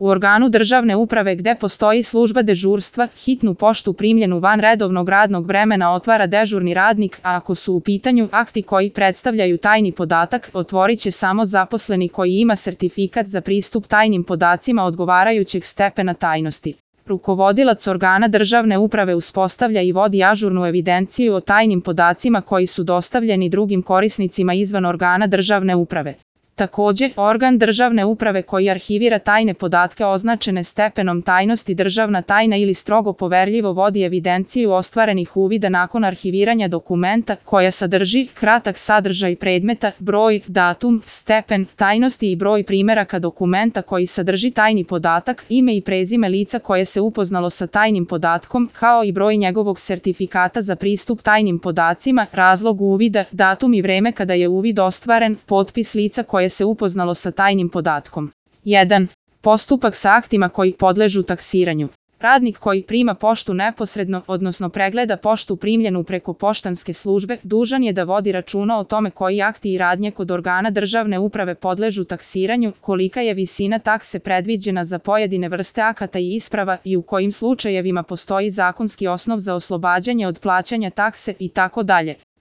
U organu državne uprave gde postoji služba dežurstva, hitnu poštu primljenu van redovnog radnog vremena otvara dežurni radnik, a ako su u pitanju akti koji predstavljaju tajni podatak, otvorit će samo zaposleni koji ima sertifikat za pristup tajnim podacima odgovarajućeg stepena tajnosti. Rukovodilac organa državne uprave uspostavlja i vodi ažurnu evidenciju o tajnim podacima koji su dostavljeni drugim korisnicima izvan organa državne uprave. Takođe, organ državne uprave koji arhivira tajne podatke označene stepenom tajnosti državna tajna ili strogo poverljivo vodi evidenciju ostvarenih uvida nakon arhiviranja dokumenta koja sadrži kratak sadržaj predmeta, broj, datum, stepen tajnosti i broj primeraka dokumenta koji sadrži tajni podatak, ime i prezime lica koje se upoznalo sa tajnim podatkom, kao i broj njegovog sertifikata za pristup tajnim podacima, razlog uvida, datum i vreme kada je uvid ostvaren, potpis lica koje se upoznalo sa tajnim podatkom. 1. Postupak sa aktima koji podležu taksiranju. Radnik koji prima poštu neposredno, odnosno pregleda poštu primljenu preko poštanske službe, dužan je da vodi računa o tome koji akti i radnje kod organa državne uprave podležu taksiranju, kolika je visina takse predviđena za pojedine vrste akata i isprava i u kojim slučajevima postoji zakonski osnov za oslobađanje od plaćanja takse itd.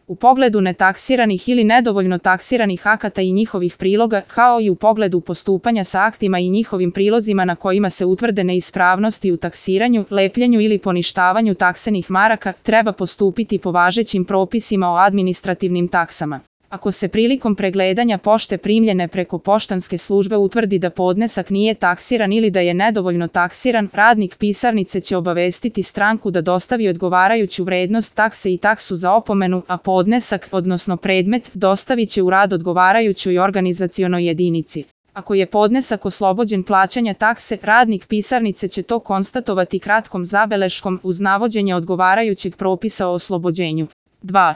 U pogledu netaksiranih ili nedovoljno taksiranih akata i njihovih priloga, kao i u pogledu postupanja sa aktima i njihovim prilozima na kojima se utvrde neispravnosti u taksiranju, lepljenju ili poništavanju taksenih maraka, treba postupiti po važećim propisima o administrativnim taksama. Ako se prilikom pregledanja pošte primljene preko poštanske službe utvrdi da podnesak nije taksiran ili da je nedovoljno taksiran, radnik pisarnice će obavestiti stranku da dostavi odgovarajuću vrednost takse i taksu za opomenu, a podnesak, odnosno predmet, dostavit će u rad odgovarajućoj organizacionoj jedinici. Ako je podnesak oslobođen plaćanja takse, radnik pisarnice će to konstatovati kratkom zabeleškom uz navođenje odgovarajućeg propisa o oslobođenju. 2.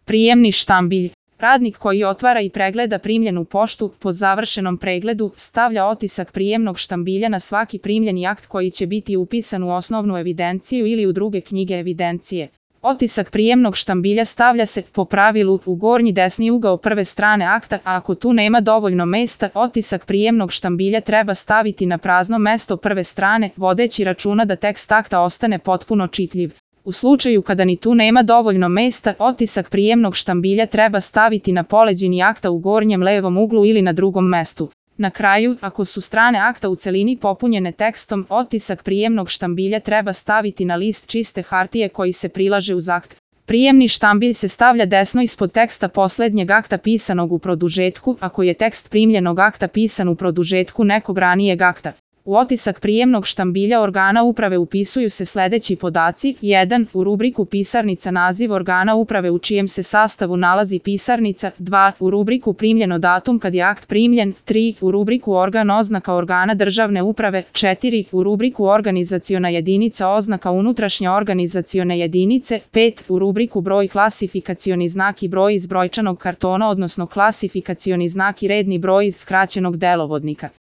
Prijemni štambilj. Radnik koji otvara i pregleda primljenu poštu, po završenom pregledu, stavlja otisak prijemnog štambilja na svaki primljeni akt koji će biti upisan u osnovnu evidenciju ili u druge knjige evidencije. Otisak prijemnog štambilja stavlja se, po pravilu, u gornji desni ugao prve strane akta, a ako tu nema dovoljno mesta, otisak prijemnog štambilja treba staviti na prazno mesto prve strane, vodeći računa da tekst akta ostane potpuno čitljiv. U slučaju kada ni tu nema dovoljno mesta, otisak prijemnog štambilja treba staviti na poleđini akta u gornjem levom uglu ili na drugom mestu. Na kraju, ako su strane akta u celini popunjene tekstom, otisak prijemnog štambilja treba staviti na list čiste hartije koji se prilaže uz akt. Prijemni štambilj se stavlja desno ispod teksta poslednjeg akta pisanog u produžetku, ako je tekst primljenog akta pisan u produžetku nekog ranijeg akta. U otisak prijemnog štambilja organa uprave upisuju se sledeći podaci: 1. U rubriku pisarnica naziv organa uprave u čijem se sastavu nalazi pisarnica, 2. U rubriku primljeno datum kad je akt primljen, 3. U rubriku organ oznaka organa državne uprave, 4. U rubriku organizaciona jedinica oznaka unutrašnje organizacione jedinice, 5. U rubriku broj klasifikacioni znak i broj iz brojčanog kartona odnosno klasifikacioni znak i redni broj iz skraćenog delovodnika.